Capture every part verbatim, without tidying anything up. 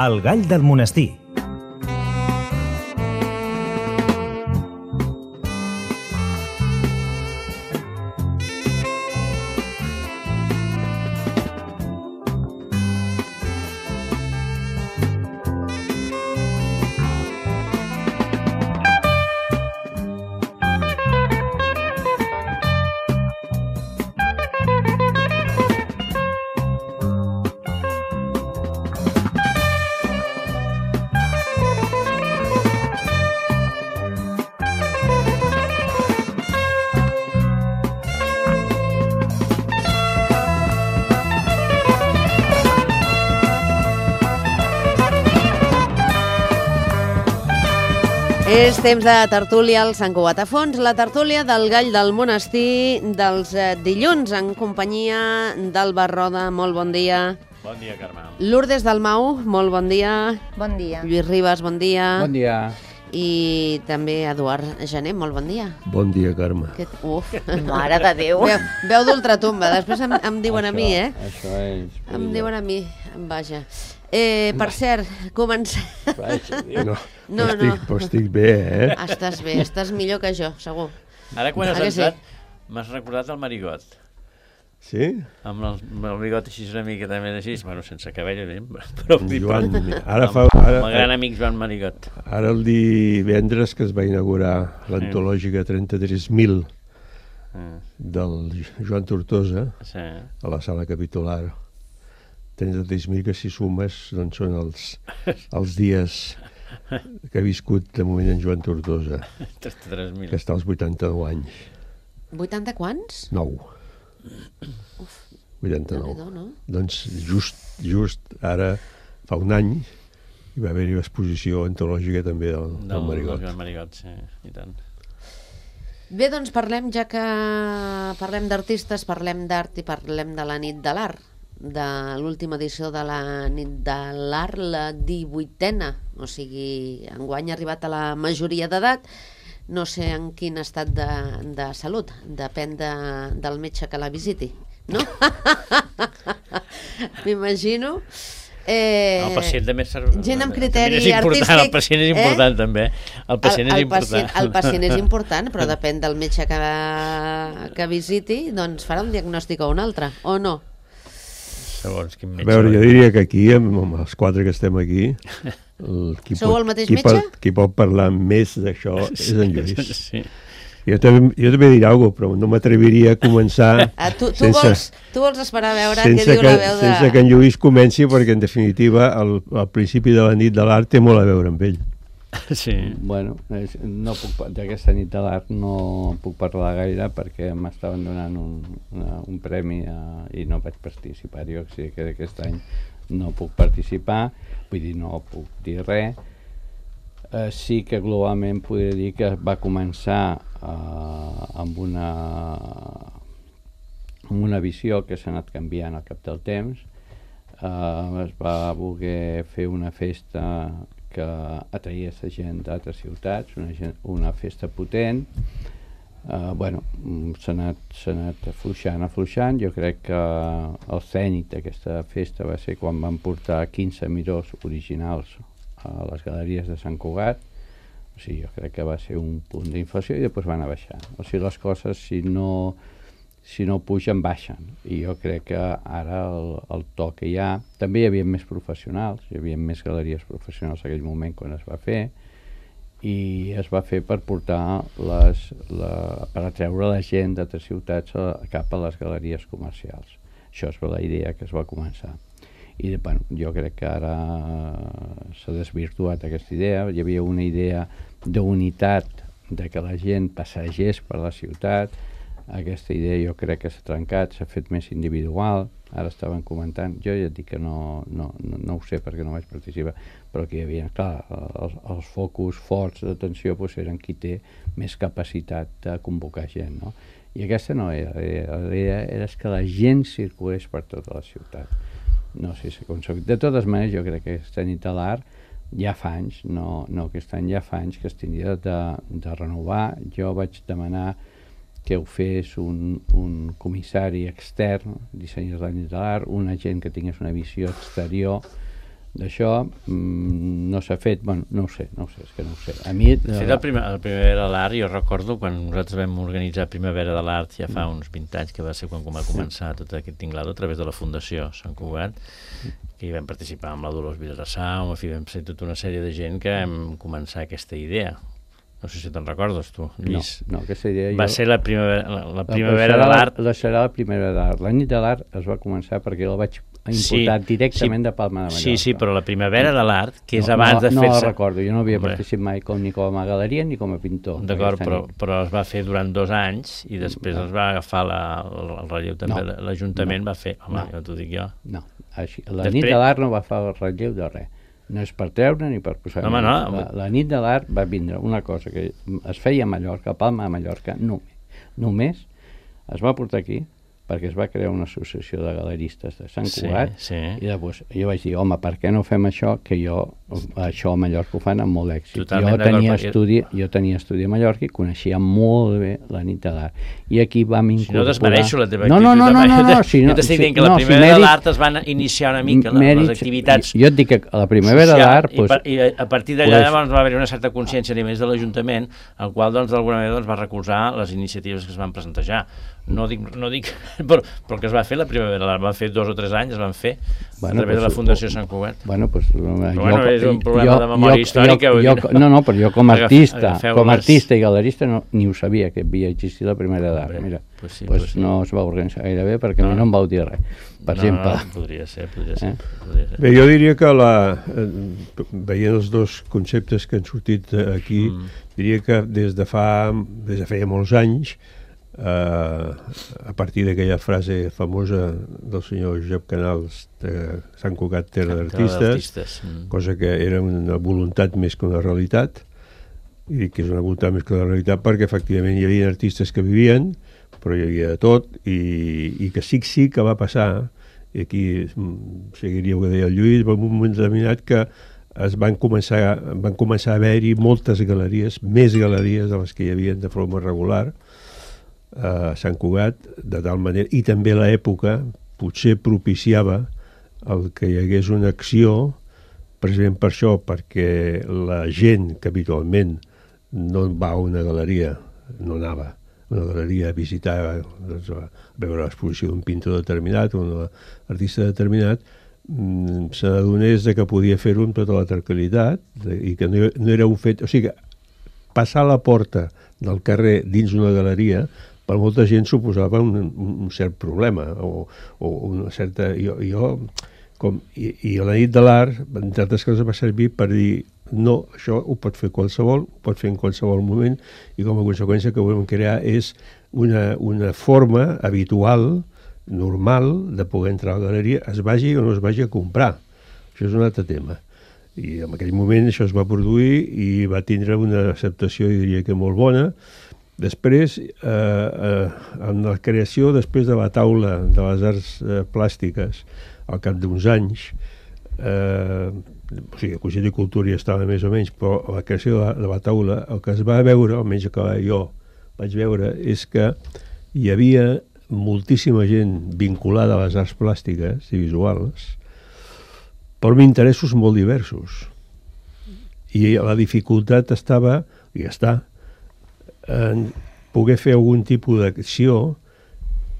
El gall del monestir. És temps de tertúlia al Sant Cugat a Fons, la tertúlia del gall del monestir dels eh, dilluns en companyia d'Alba Roda, molt bon dia. Bon dia, Carme. Lourdes Dalmau, molt bon dia. Bon dia. Lluís Ribas, bon dia. Bon dia. I també Eduard Gené, molt bon dia. Bon dia, Carme. Aquest... Uf, mare de Déu. Veu, veu d'ultratumba, després em, em diuen això, a mi, eh? Això és... Em diuen a mi, vaja. Eh, per cert, comencem... Vaja, No, No, però, estic, no. però estic bé, eh? Estàs bé, estàs millor que jo, segur. Ara quan has Ah, que sí? entrat m'has recordat el Marigot. Sí? Amb el, amb el bigot així una mica també així, bueno, sense cabell, eh? Però Joan, però- ara fa... amb Ara, el gran amic Joan Marigot. ara el divendres que es va inaugurar l'antològica trenta-tres mil Ah, del Joan Tortosa sí. a la sala capitular. trenta-tres mil que si sumes doncs són els, els dies que ha viscut de moment en Joan Tortosa, trenta-tres mil. que està als vuitanta-nou anys. vuitanta quants? nou. vuitanta-nou. Déu-n'hi-do, no? Doncs just, just ara, fa un any, hi va haver-hi l'exposició antològica també del, del, Del Marigot. Joan Marigot, sí, i tant. Bé, doncs parlem, ja que parlem d'artistes, parlem d'art i parlem de la nit de l'art, de l'última edició de la nit de l'art, la divuitena, o sigui, enguany ha arribat a la majoria d'edat, no sé en quin estat de, de salut, depèn de, del metge que la visiti, no? M'imagino. Eh, No, el pacient també és... gent amb criteri és important, artístic, el pacient és important, eh? també. El pacient el, el és important. Pacient, el pacient és important, però depèn del metge que, que visiti, doncs farà un diagnòstic o un altre, o no? Segons quin A metge. veure, jo diria que aquí, amb, amb els quatre que estem aquí, el, qui, Sou pot, el mateix qui, metge? pot, qui pot parlar més d'això és en Lluís. Sí. Jo també, jo també diré alguna cosa, però no m'atreviria a començar Ah, tu, tu, sense, vols, tu vols esperar a veure què sense, diu que, la veu de... sense que en Lluís comenci, perquè en definitiva el, el principi de la nit de l'art té molt a veure amb ell. Sí. Bueno, és, no puc, d'aquesta nit de l'art no puc parlar gaire perquè m'estaven donant un, una, un premi a, i no vaig participar-hi, o sigui que d'aquest any no puc participar, vull dir, no puc dir res. Eh, sí que globalment podria dir que va començar eh, amb una amb una visió que s'ha anat canviant al cap del temps. Eh, es va voler fer una festa que atraïa la gent d'altres ciutats, una, gent, una festa potent. Uh, bueno, s'ha anat, s'ha anat afluixant, afluixant. Jo crec que el cènit d'aquesta festa va ser quan van portar quinze mirós originals a les galeries de Sant Cugat. O sigui, jo crec que va ser un punt d'inflació i després van a baixar. O sigui, les coses, si no, si no pugen, baixen. I jo crec que ara el, el to que hi ha... També hi havia més professionals, hi havia més galeries professionals en aquell moment quan es va fer, i es va fer per portar les, la, per atreure la gent d'altres ciutats a, cap a les galeries comercials. Això és la idea que es va començar. I bueno, jo crec que ara s'ha desvirtuat aquesta idea. Hi havia una idea d'unitat, de que la gent passegés per la ciutat. Aquesta idea jo crec que s'ha trencat, s'ha fet més individual. Ara estaven comentant, jo ja et dic que no, no, no, no ho sé perquè no vaig participar, però que hi havia, clar, els, els focus forts d'atenció doncs, eren qui té més capacitat de convocar gent, no? I aquesta no era, la idea era que la gent circulés per tota la ciutat. No sé si aconseguit. De totes maneres, jo crec que aquesta nit de l'art ja fa anys, no, no aquest any, ja fa anys que es tindria de, de renovar. Jo vaig demanar que ho fes un, un comissari extern, dissenyador de la nit de l'art, una gent que tingués una visió exterior D'això mm, no s'ha fet, bueno, no ho sé, no ho sé, és que no ho sé. A mi... De fet, el primer, el Primavera de l'Art, jo recordo quan nosaltres vam organitzar Primavera de l'Art ja fa uns vint anys, que va ser quan va començar tot aquest tinglado a través de la Fundació Sant Cugat, que hi vam participar amb la Dolors Vilassar, en fi, vam ser tota una sèrie de gent que vam començar aquesta idea. No sé si te'n recordes, tu, Lluís. No, no, aquesta idea... Va jo... ser la primavera, la, la primavera serà de l'Art. La, la serà la Primavera de l'Art. La nit de l'Art es va començar perquè jo la vaig importar Sí, directament sí, de Palma de Mallorca. Sí, sí, però la Primavera de l'Art, que és no, abans no, de no fer-se... No la recordo, jo no havia Hombre. participat mai com, ni com a galeria ni com a pintor. D'acord, però, nit. però es va fer durant dos anys i després No. es va agafar la, el, el relleu també. No. L'Ajuntament No. va fer... Home, No. ja t'ho dic jo. No, així, la Després- nit de l'Art no va fer el relleu de res. No és per treure ni per posar... Home, no. La, la nit de l'Art va vindre una cosa que es feia a Mallorca, a Palma de Mallorca, només. Només es va portar aquí perquè es va crear una associació de galeristes de Sant Sí, Cugat sí. i llavors jo vaig dir, home, per què no fem això? Que jo, això a Mallorca ho fan amb molt èxit. Totalment Jo d'acord, tenia, perquè- estudi, jo tenia estudi a Mallorca i coneixia molt bé la nit de l'Art. I aquí vam Si incorporar... no desmereixo la teva no, actitud. no, no, no, no, no, si jo no, t'estic si- dient que la no, si Primavera de mèrits- l'Art es van iniciar una mica les, mèrits- les activitats Jo et dic que a la Primavera de social, l'Art... i, Pues, per, i a partir d'allà pues- llavors va haver una certa consciència a nivells de l'Ajuntament, el qual doncs d'alguna manera doncs, va recolzar les iniciatives que es van presentar. No dic, no dic però, però el que es va fer la Primavera de l'Art, van fer dos o tres anys, es van fer Bueno, a través pues, de la Fundació Sant Cugat. Bueno, pues, jo, bueno, és un problema jo, de memòria jo, històrica, Jo, vull jo, dir. no, no, però jo com a Agaf- artista, agafeu com a les- artista i galerista no, ni ho sabia que havia existit la Primavera d'Art. Hombre, Mira, pues sí, pues pues sí. no es va organitzar gaire bé perquè No. a mi no em vau dir res. Per no, exemple, no, podria ser, podria ser, Eh? podria ser. Bé, jo diria que la, eh, veient els dos conceptes que han sortit eh, aquí, Mm. diria que des de fa des de feia molts anys, eh, a partir d'aquella frase famosa del senyor Josep Canals de Sant Cugat, terra d'artistes, d'artistes. Mm. cosa que era una voluntat més que una realitat, i dic que és una voluntat més que una realitat perquè efectivament hi havia artistes que vivien, però hi havia de tot, i, i que sí sí que va passar, i aquí mm, seguiria el que deia el Lluís, va un moment determinat que es van començar, van començar a haver-hi moltes galeries, més galeries de les que hi havia de forma regular a Sant Cugat, de tal manera, i també l'època potser propiciava el que hi hagués una acció, precisament per això, perquè la gent que habitualment no va a una galeria, no anava a una galeria a visitar, doncs, a veure l'exposició d'un pintor determinat o d'un artista determinat, mm, se n'adonés de que podia fer-ho amb tota la tranquil·litat de, i que no, no era un fet... O sigui, passar la porta del carrer dins una galeria per molta gent suposava un, un, un cert problema o, o una certa... Jo, jo, com, i, I la nit de l'art, entre altres coses, va servir per dir no, això ho pot fer qualsevol, ho pot fer en qualsevol moment, i com a conseqüència que volem crear és una, una forma habitual, normal, de poder entrar a la galeria, es vagi o no es vagi a comprar. Això és un altre tema. I en aquell moment això es va produir i va tindre una acceptació, jo diria que molt bona. Després, eh, eh, en la creació, després de la taula de les arts eh, plàstiques, al cap d'uns anys, eh, o sigui, el Consell de Cultura ja estava més o menys, però la creació de la, de la taula, el que es va veure, almenys que jo vaig veure, és que hi havia moltíssima gent vinculada a les arts plàstiques i visuals, però amb interessos molt diversos. I la dificultat estava, i està, en poder fer algun tipus d'acció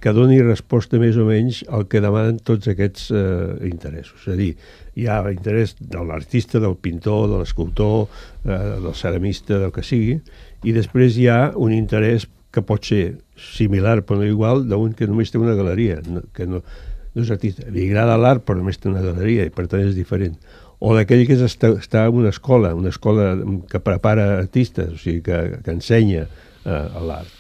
que doni resposta més o menys al que demanen tots aquests eh, interessos. És a dir, hi ha l'interès de l'artista, del pintor, de l'escultor, eh, del ceramista, del que sigui, i després hi ha un interès que pot ser similar però no igual d'un que només té una galeria, no, que no, no és artista. Li agrada l'art però només té una galeria i per tant és diferent. O d'aquell que està, està en una escola, una escola que prepara artistes, o sigui, que, que ensenya eh, l'art.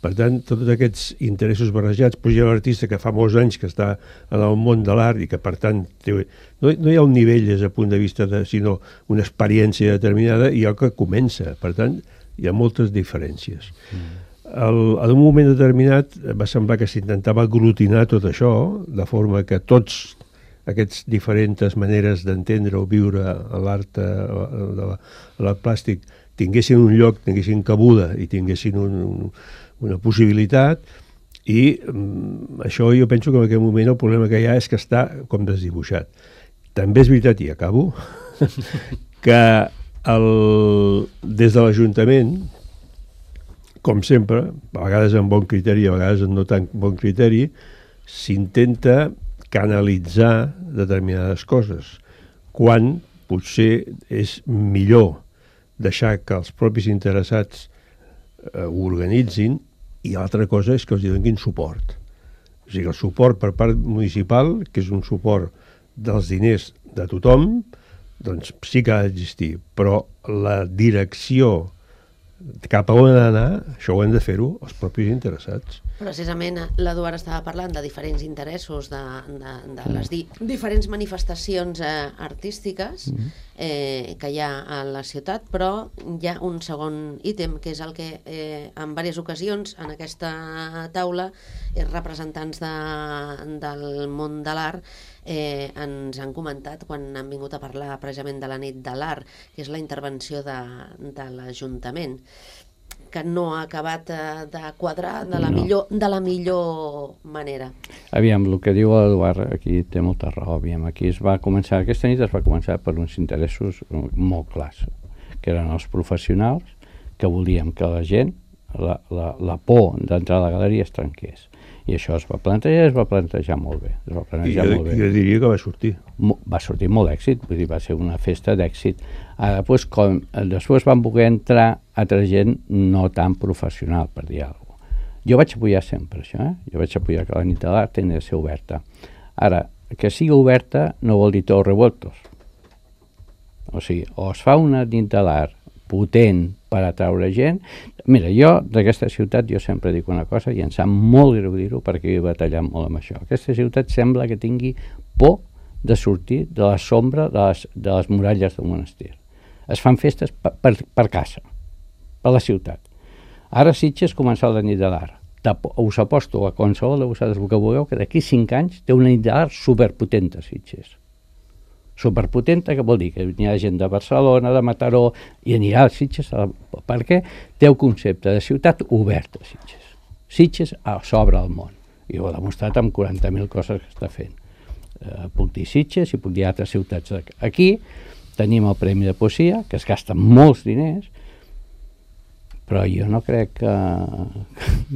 Per tant, tots aquests interessos barrejats, però hi ha un artista que fa molts anys que està en el món de l'art i que, per tant, té, no, no hi ha un nivell des del punt de vista, de, sinó una experiència determinada i el que comença. Per tant, hi ha moltes diferències. Mm. El, en un moment determinat va semblar que s'intentava aglutinar tot això, de forma que tots aquestes diferents maneres d'entendre o viure l'art de l'art plàstic tinguessin un lloc, tinguessin cabuda i tinguessin un, un, una possibilitat, i um, això jo penso que en aquest moment el problema que hi ha és que està com desdibuixat. també és veritat, i acabo, que el, des de l'Ajuntament, com sempre, a vegades amb bon criteri, a vegades amb no tan bon criteri, s'intenta canalitzar determinades coses, quan potser és millor deixar que els propis interessats eh, ho organitzin, i l'altra cosa és que els donin suport. O sigui, el suport per part municipal, que és un suport dels diners de tothom, doncs sí que ha d'existir, però la direcció cap a on anar, això ho han de fer-ho els propis interessats. Precisament l'Eduard estava parlant de diferents interessos, de, de, de les di diferents manifestacions eh, artístiques eh, que hi ha a la ciutat, però hi ha un segon ítem, que és el que eh, en diverses ocasions en aquesta taula els representants de, del món de l'art eh, ens han comentat quan han vingut a parlar precisament de la nit de l'art, que és la intervenció de, de l'Ajuntament, que no ha acabat de quadrar de la, no. millor, de la millor manera. Aviam, el que diu l'Eduard aquí té molta raó. Aviam, aquí es va començar, aquesta nit es va començar per uns interessos molt clars, que eren els professionals, que volíem que la gent, la, la, la por d'entrar a la galeria es trenqués. I això es va plantejar, es va plantejar molt bé. Es va plantejar I jo, molt bé. jo diria que va sortir. Mo, va sortir molt d'èxit, vull dir, va ser una festa d'èxit. Ara, doncs, com, després van voler entrar altra gent no tan professional, per dir alguna cosa. Jo vaig apoyar sempre això, eh? Jo vaig apoyar que la nit de l'art tenia de ser oberta. Ara, que sigui oberta no vol dir tots revoltos. O sigui, o es fa una nit de l'art potent per atraure gent. Mira, jo d'aquesta ciutat jo sempre dic una cosa i em sap molt greu dir-ho perquè he batallat molt amb això. Aquesta ciutat sembla que tingui por de sortir de la sombra de les, de les muralles del monestir. Es fan festes per, per, per casa, per la ciutat. Ara Sitges comença la nit de l'art. Us aposto a qualsevol de vosaltres que vulgueu que d'aquí cinc anys té una nit de l'art superpotent a Sitges. Superpotenta, que vol dir que hi ha gent de Barcelona, de Mataró, i anirà a Sitges, perquè té el concepte de ciutat oberta a Sitges. Sitges s'obre al món, i ho ha demostrat amb quaranta mil coses que està fent. Eh, puc dir Sitges i puc dir altres ciutats. Aquí tenim el Premi de Poesia, que es gasta molts diners, però jo no crec que,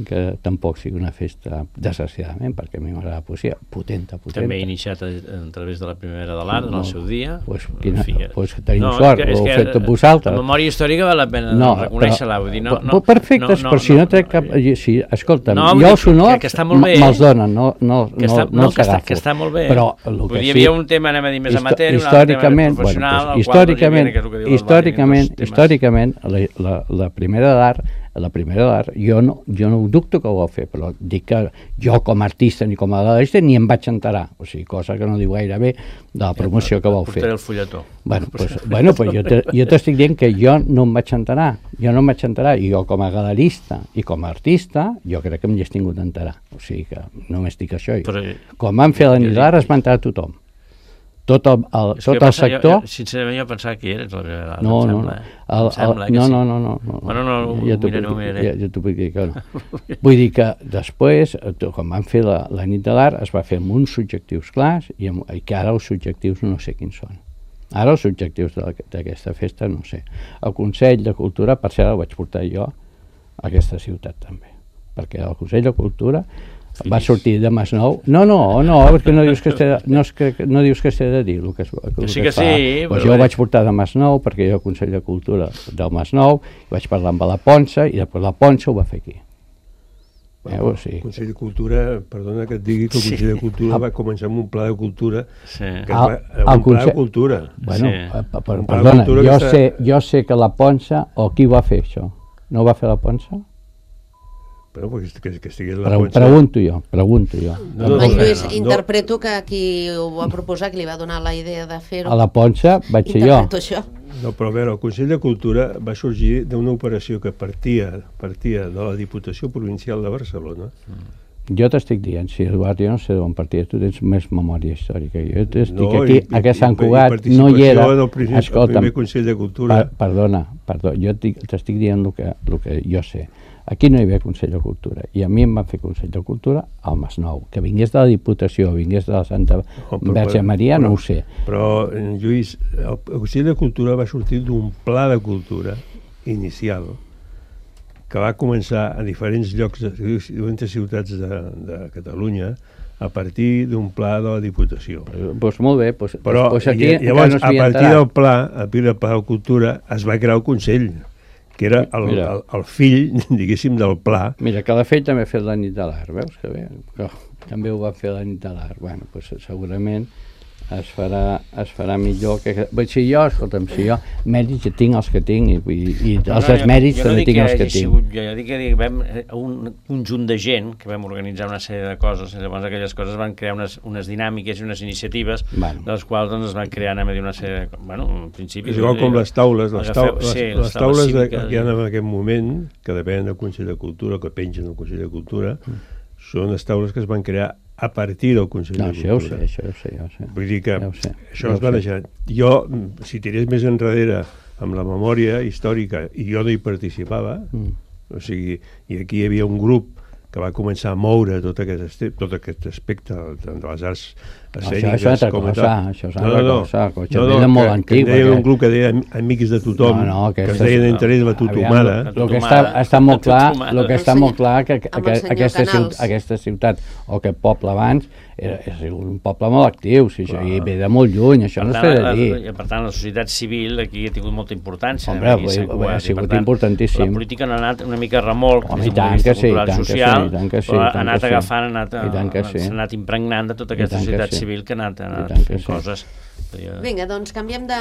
que tampoc sigui una festa desgraciadament, perquè a mi m'agrada la poesia potenta, potenta. També he iniciat a, a través de la Primavera de l'Art, no, en el seu dia. Pues, quina, fi, pues tenim no, sort, és que, ho heu fet que, vosaltres. La memòria històrica val la pena no, reconèixer-la, vull dir, no... no perfecte, no, no, però si no, no trec cap... Sí, escolta'm, no, jo els honors que, que me'ls donen, no, no, que està, no, no els que està, agafo. que està molt bé. Però el vull que dir, hi sí, havia un tema, anem a dir, més amateur, un altre tema més professional, bueno, pues, històricament, històricament, històricament, la, la, la primera d'art, la primera d'art, jo no, jo no ho dubto que ho va fer, però dic que jo com a artista ni com a galerista ni em vaig enterar, o sigui, cosa que no diu gaire bé de la promoció que vau fer. Portaré el fulletó. Bueno, pues, bueno, pues jo t'estic dient que jo no em vaig enterar, jo no em vaig enterar, i jo com a galerista i com a artista, jo crec que m'hi he tingut d'enterar, o sigui que només dic això. Però, quan van fer la nit d'art es va enterar tothom. Tot el, el, tot el sector... Jo, sincerament jo pensava que eres la primera d'art, no, em no, sembla. No, el, el, sembla no, sí. no, no, no, no. Bueno, no, ja ho miraré, ho miraré. Ja, ja t'ho puc dir que no. Vull dir que després, quan van fer la, la nit de l'art, es va fer amb uns subjectius clars i, amb, i que ara els subjectius no sé quins són. Ara els objectius d'aquesta festa no sé. El Consell de Cultura, per cert, el vaig portar jo a aquesta ciutat també, perquè el Consell de Cultura va sortir de Masnou. No, no, no, perquè no dius que esté, no, es, que, no dius que esté de dir el que, el que, sí que es fa. sí, pues jo ho vaig portar de Masnou, perquè jo al Consell de Cultura del Masnou, vaig parlar amb la Ponça, i després la Ponça ho va fer aquí. Bueno, eh, sí. El Consell de Cultura, perdona que et digui que el Consell sí. de Cultura sí. va començar amb un pla de cultura, sí. que el, va, un el pla Consell... de cultura. Bueno, sí. per, per, perdona, jo, està... sé, jo sé que la Ponça, o qui va fer això? No ho va fer la Ponça? Però que, que, que estigués la Pre Ponça... Pregunto jo, pregunto jo. No, no, no, Lluís, no, interpreto que qui ho va proposar, que li va donar la idea de fer-ho... A la Ponça vaig ser jo. Això. No, però a veure, el Consell de Cultura va sorgir d'una operació que partia, partia de la Diputació Provincial de Barcelona. Mm. Jo t'estic dient, si Eduard, jo no sé d'on partia, tu tens més memòria històrica. Jo t'estic no, aquí, i, a Sant Cugat, no hi era... Primer, Escolta'm, el primer Consell de Cultura... Per, perdona, perdó, jo t'estic dient el que, el que jo sé. Aquí no hi havia Consell de Cultura, i a mi em van fer Consell de Cultura al Masnou. Que vingués de la Diputació, vingués de la Santa Oh, però- Verge Maria, però- no ho sé. Però, eh, Lluís, el el Consell de Cultura va sortir d'un pla de cultura inicial que va començar a diferents llocs de diferents ciutats de, de Catalunya a partir d'un pla de la Diputació. Doncs molt bé, doncs, Però doncs aquí lla- encara llavors, no a s'havia partir enterat. del pla, a partir del pla de cultura, es va crear el Consell, que era el, Mira. el, el fill, diguéssim, del pla. Mira, Calafell també ha fet la nit de l'art, veus que bé? Que també ho va fer la nit de l'art. Bueno, doncs segurament es farà, es farà millor que... Vull dir, si jo, escolta'm, si jo mèrits ja tinc els que tinc i, i, i No, els no, desmèrits jo, jo no també dic tinc els que hagi tinc. sigut, jo, jo dic que vam, un conjunt de gent que vam organitzar una sèrie de coses, i llavors aquelles coses van crear unes, unes dinàmiques i unes iniciatives, Bueno. de les quals doncs, es van crear, anem a dir, una sèrie de... Bueno, en principi... És igual com les taules. Les, tau, Agafeu- les, sí, les taules de, cíviques. que hi ha en aquest moment, que depenen del Consell de Cultura, que pengen del Consell de Cultura, són les taules que es van crear a partir del Consell No, de això ja ho sé, Cultura. això ja ho sé, ja ho sé. Vull dir que Ja ho sé, això ja es ho va sé. deixar. Jo, si tirés més enrere amb la memòria històrica, i jo no hi participava, Mm. o sigui, i aquí hi havia un grup que va començar a moure tot aquest, este, tot aquest aspecte tant de les arts escèniques Això és altra com a cosa, tal. això és altra cosa, que això ve de que, molt que antic, en deien perquè- un grup que deia Am- Amics de tothom, No, no, que es aquesta és- deien entre ells la Totomada. Aviam, el que està, està molt clar, el que està El molt senyor- clar que, que, amb el que senyor aquesta, ciutat, Canals. aquesta ciutat o aquest poble abans era, era un poble molt actiu, si això Clar. hi ve de molt lluny, això no es Per té tant, de dir. la, per tant, la societat civil aquí ha tingut molta importància. Hombre, aquí vull- s'ha vull- cuat, ha i, sigut per tant, importantíssim. La política no ha anat una mica a remolc, Home, des i d'un tant punt de que vista sí, i cultural tant que social, sí, i tant que sí, però i ha tant anat que sí. agafant, ha anat, I tant que sí. s'ha anat impregnant de tota I aquesta tant que societat sí. civil que ha anat, ha I anat tant que fent sí. coses. Vinga, doncs canviem de,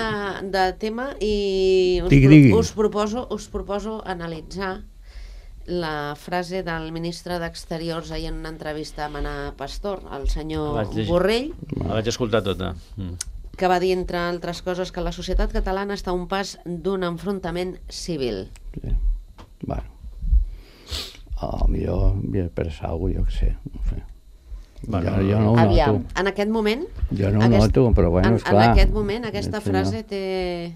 de tema i us, Digui, pro- digui. us, proposo, us proposo analitzar la frase del ministre d'Exteriors ahir en una entrevista amb Ana Pastor, el senyor Vaig llegir. Borrell, La vaig escoltar tota. Mm. que va dir, entre altres coses, que la societat catalana està a un pas d'un enfrontament civil. Sí. Bueno, a millor havia de pensar alguna cosa, jo què sé, no sé. Bueno, jo, jo no ho aviam. noto. En aquest moment... Jo no ho aquest- noto, però bueno, en, esclar. en aquest moment aquesta El senyor- frase té...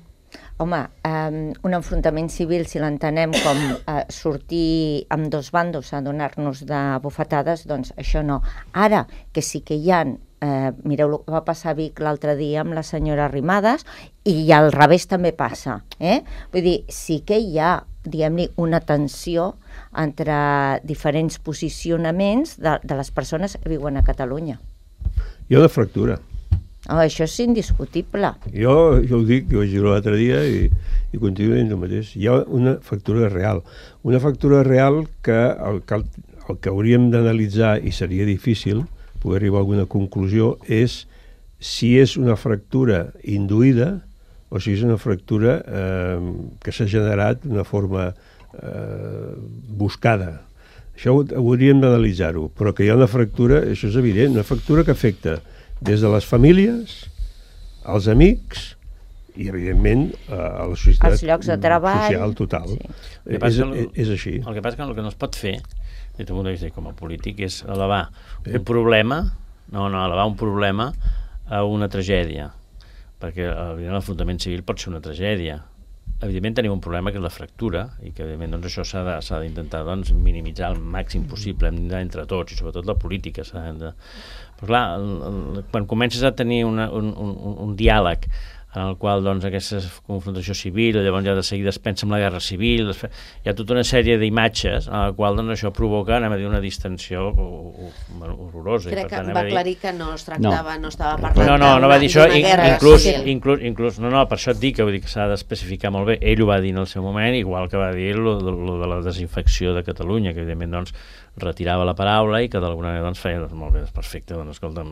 Home, um, un enfrontament civil, si l'entenem com uh, sortir amb dos bandos a donar-nos de bufetades, doncs això no. Ara, que sí que hi ha, eh, mireu el que va passar a Vic l'altre dia amb la senyora Arrimadas, i al revés també passa. Eh? Vull dir, sí que hi ha, diguem-li, una tensió entre diferents posicionaments de, de les persones que viuen a Catalunya. Hi ha una fractura. Oh, això és indiscutible. Jo, jo ho dic, jo ho vaig dir l'altre dia i, i continuo dient el mateix. Hi ha una factura real. Una factura real que el, que el, el que hauríem d'analitzar, i seria difícil poder arribar a alguna conclusió, és si és una fractura induïda o si és una fractura eh, que s'ha generat d'una forma eh, buscada. Això ho, hauríem d'analitzar-ho, però que hi ha una fractura, això és evident, una fractura que afecta des de les famílies, als amics i, evidentment, a la societat Els llocs de treball. social total. Sí. El que És, passa que és, és així. El que passa que el que no es pot fer, des del punt de vista com a polític, és elevar un problema, no, no, elevar un problema a una tragèdia, perquè evidentment l'enfrontament civil pot ser una tragèdia. Evidentment tenim un problema que és la fractura i que evidentment doncs, això s'ha de, s'ha d'intentar doncs, minimitzar al màxim possible entre tots i sobretot la política s'ha de... Però clar, el, el, quan comences a tenir una, un, un, un diàleg en el qual doncs, aquesta confrontació civil, llavors ja de seguida es pensa en la guerra civil, es fa, hi ha tota una sèrie d'imatges en la qual doncs, això provoca, anem a dir, una distensió horrorosa. Crec I, per que tant, va anem a dir, aclarir que no es tractava, no, no estava no, parlant no, no va dir això, d'una in- guerra inclús, civil. inclús, inclús, no, no, per això et dic que, vull dir que s'ha d'especificar molt bé. Ell ho va dir en el seu moment, igual que va dir lo, lo, lo de la desinfecció de Catalunya, que evidentment doncs, retirava la paraula i que d'alguna manera doncs, feia, doncs, molt bé, és perfecte, doncs, escolta,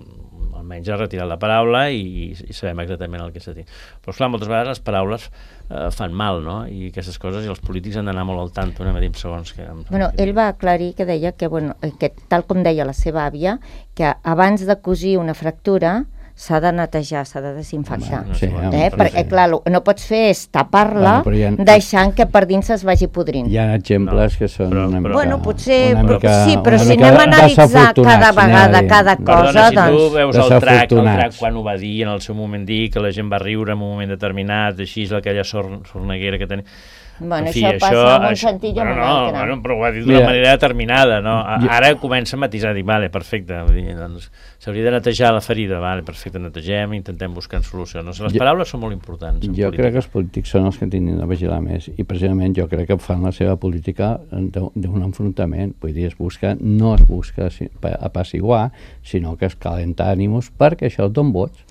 almenys ha retirat la paraula i, i sabem exactament el que s'ha dit. Però, esclar, moltes vegades les paraules eh, fan mal, no? I aquestes coses, i els polítics han d'anar molt al tanto, anem a dir segons que... Bueno, ell va aclarir que deia que, bueno, que tal com deia la seva àvia, que abans de cosir una fractura s'ha de netejar, s'ha de desinfectar. Home, sí, home, eh? però Perquè, sí. clar, el que no pots fer és tapar-la Bueno, però hi ha- deixant que per dins es vagi podrint. Hi ha exemples No, que són però- una però- mica... Bueno, potser, una però, mica, sí, però una si mica anem a analitzar desafortunats, cada anem a vegada, dir. cada Perdona, cosa, si tu doncs... veus el trac, el Desafortunats. trac quan ho va dir, en el seu moment dir que la gent va riure en un moment determinat, així és aquella sor, sorneguera que tenia... Bueno, en fi, això passa en un sentit i en bueno, un no, altre. Bueno, però ho ha dit d'una Mira, manera determinada, no? A- jo- Ara comença a matisar, dir, vale, perfecte, vull dir, doncs, s'hauria de netejar la ferida, vale, perfecte, netegem, intentem buscar solucions. No sé, les Jo- paraules són molt importants. en Jo política. crec que els polítics són els que tindrien de vigilar més i precisament jo crec que fan la seva política de- d'un enfrontament, vull dir, es busca, no es busca si- pa- apaciguar, sinó que es calenta ànims perquè això et dona vots.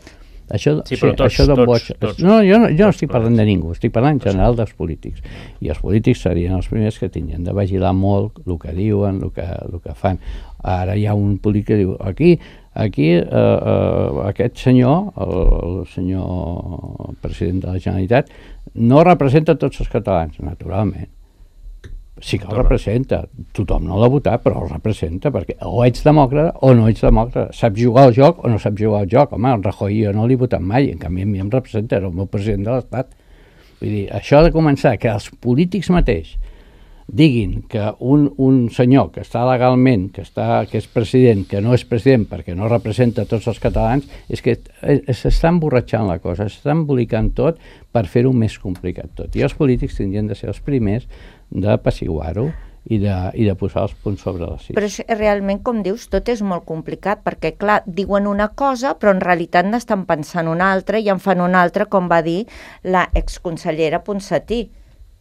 Això, Sí, però tots, això dona tots, vots. tots. No, jo no, jo no Tots estic parlant plegats. de ningú, estic parlant en general dels polítics. I els polítics serien els primers que tindrien de vigilar molt el que diuen, el que, el que fan. Ara hi ha un polític que diu, aquí, aquí eh, eh, aquest senyor, el, el senyor president de la Generalitat, no representa tots els catalans, naturalment. Sí que el representa, tothom no l'ha votat, però el representa, perquè o ets demòcrata o no ets demòcrata, saps jugar al joc o no saps jugar al joc. Home, el Rajoy jo no l'he votat mai, en canvi a mi em representa, era el meu president de l'Estat. Vull dir, això ha de començar, que els polítics mateix diguin que un, un senyor que està legalment, que, està, que és president, que no és president perquè no representa tots els catalans, és que s'està emborratxant la cosa, s'està embolicant tot per fer-ho més complicat tot. I els polítics tindrien de ser els primers d'apaciguar-ho i de, i de posar els punts sobre les sis. Però és, realment, com dius, tot és molt complicat, perquè, clar, diuen una cosa, però en realitat n'estan pensant una altra i en fan una altra, com va dir la exconsellera Ponsatí,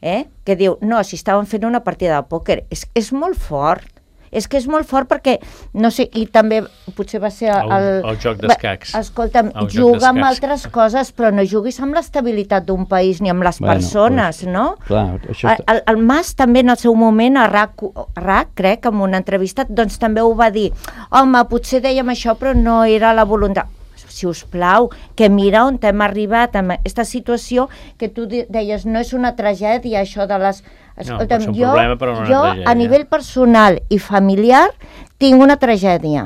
eh? Que diu, no, si estaven fent una partida de pòquer. És, és molt fort. És que és molt fort perquè, no sé, i també potser va ser el... El, el joc d'escacs. Escolta'm, El joc juga amb d'escacs. altres coses, però no juguis amb l'estabilitat d'un país ni amb les Bueno, persones, pues, no? clar, això El, està- el, el Mas també en el seu moment a RAC, RAC, crec, en una entrevista, doncs també ho va dir. Home, potser dèiem això, però no era la voluntat. Si us plau, que mira on hem arribat amb aquesta situació, que tu de- deies, no és una tragèdia això de les... Escolta'm, pot ser un jo, problema, però no una jo tragèdia. a nivell personal i familiar tinc una tragèdia.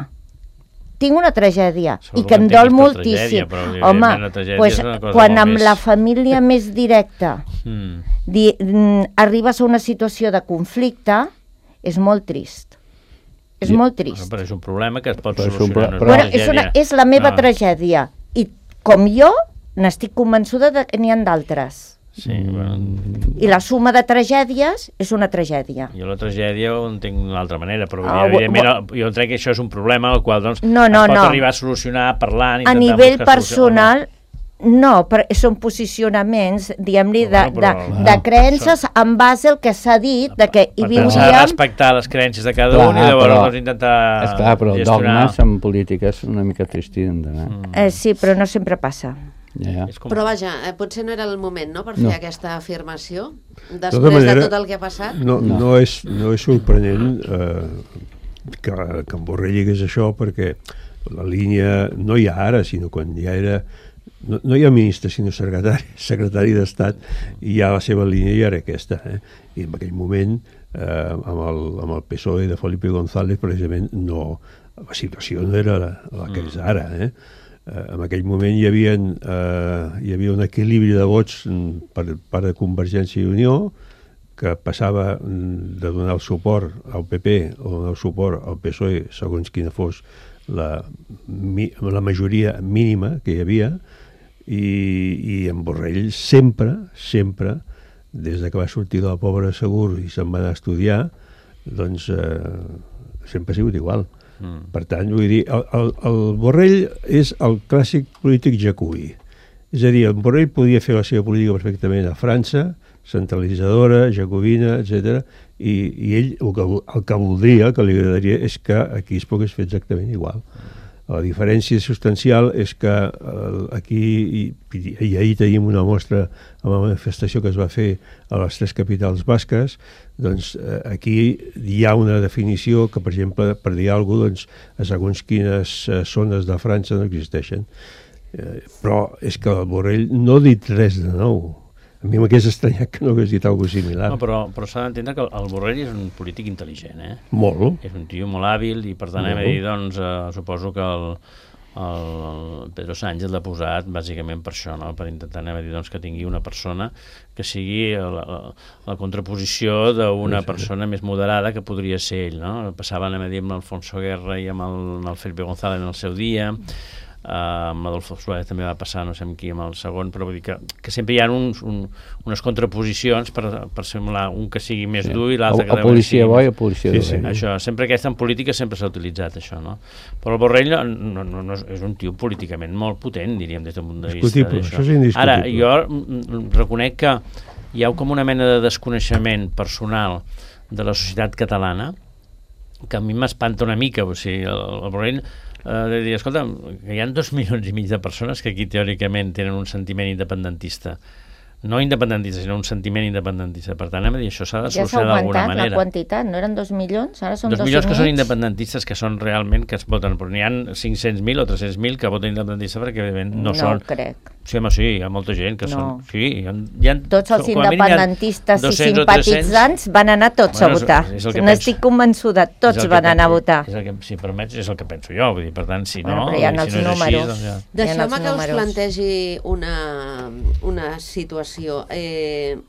Tinc una tragèdia Segur i que que em en dol tinguis per moltíssim. tragèdia, però, Home, evidentment, la tragèdia pues, és una cosa quan molt amb més- la família més directa Mm. di, mm, arribes a una situació de conflicte, és molt trist. És Ja, molt Bueno, trist. però és un problema que es pot Però és un solucionar. pro- no però- Bueno, una és, una, tragèdia. és la meva No, tragèdia. I com jo, n'estic convençuda de que n'hi ha d'altres. Sí, bueno, I la suma de tragèdies és una tragèdia. jo la tragèdia ho entenc d'una altra manera, però Ah, evidentment jo crec que això és un problema al qual doncs, No, no, es pot no. arribar a solucionar parlant, A intentant nivell buscar solució, o no? personal, no, però són posicionaments, diguem-li, de, Bueno, de, però- de creences en base al que s'ha dit, de que hi Per tant, s'ha de viuríem... respectar les creences de cada Clar, un i llavors però- doncs, intentar És clar, però gestionar. dogmes en política és una mica tristit d'anar. Mm. Eh, sí, però no sempre passa. Ja, ja. És com... Però vaja, eh, potser no era el moment, no?, per fer No. aquesta afirmació, De després tota manera, de tot el que ha passat. No, no. no, és, no és sorprenent eh, que, que en Borrell digués això, perquè la línia, no hi ha ara, sinó quan ja era... No, no hi ha ministre, sinó secretari, secretari d'Estat, i ja la seva línia ja era aquesta. Eh? I en aquell moment, eh, amb, el, amb el P S O E de Felipe González, precisament, no, la situació no era la, la que és ara. Eh? Eh, en aquell moment hi havia, eh, hi havia un equilibri de vots mm, per part de Convergència i Unió, que passava mm, de donar el suport al P P o donar el suport al P S O E, segons quina fos la, mi, la majoria mínima que hi havia, i, i en Borrell sempre, sempre, des de que va sortir de la Pobra Segur i se'n va anar a estudiar, doncs eh, sempre ha sigut igual. Mm. Per tant, vull dir, el, el, el Borrell és el clàssic polític jacobi. És a dir, el Borrell podia fer la seva política perfectament a França, centralitzadora, jacobina, etcètera, i, i ell el que, el que voldria, el que li agradaria, és que aquí es pogués fer exactament igual. La diferència substancial és que eh, aquí, i, i ahir tenim una mostra amb la manifestació que es va fer a les tres capitals basques, doncs eh, aquí hi ha una definició que, per exemple, per dir alguna cosa, doncs, a segons quines eh, zones de França no existeixen. Eh, però és que el Borrell no ha dit res de nou. A mi m'hagués estranyat que no hagués dit alguna cosa similar. No, però, però s'ha d'entendre que el, el Borrell és un polític intel·ligent, eh? Molt. És un tio molt hàbil i per tant hem de Molt. dir, doncs, eh, suposo que el, el, el Pedro Sánchez l'ha posat bàsicament per això, no? Per intentar anem a dir, doncs, que tingui una persona que sigui la, la, la contraposició d'una Sí, sí. persona més moderada que podria ser ell, no? Passava, anem a dir, amb l'Alfonso Guerra i amb el, amb el Felipe González en el seu dia. Uh, amb l'Adolfo Suárez també va passar, no sé amb qui, amb el segon, però vull dir que, que sempre hi ha uns, un, unes contraposicions per, per semblar un que sigui més sí. dur i l'altre que... O policia bo i o policia dur. Sí, sí. Això, sempre aquesta en política sempre s'ha utilitzat això, no? Però el Borrell no, no, no, és un tio políticament molt potent, diríem, des del punt de vista Discutible, d'això. això és indiscutible. Ara, jo reconec que hi ha com una mena de desconeixement personal de la societat catalana que a mi m'espanta una mica, o sigui, el, el Borrell Uh, de dir, escolta, que hi ha dos milions i mig de persones que aquí teòricament tenen un sentiment independentista, no independentista, sinó un sentiment independentista. Per tant, hem de dir, això s'ha de solucionar d'alguna manera. Ja s'ha augmentat la quantitat, no eren dos milions? Ara són dos, dos milions que són mig. independentistes, que són realment, que es voten, però n'hi ha cinc-cents mil o tres-cents mil que voten independentista perquè evidentment no, no són... No crec. Sí, home, sí, hi ha molta gent que no. són... Sí, hi ha, hi ha, tots els independentistes i simpatitzants van anar tots bueno, a votar. N'estic convençuda, tots van anar a votar. És el que, si permets, és el que penso jo, vull dir, per tant, si no... Bueno, però hi ha els si no números. Així, doncs ja... Deixeu-me que us plantegi una, una situació. Eh,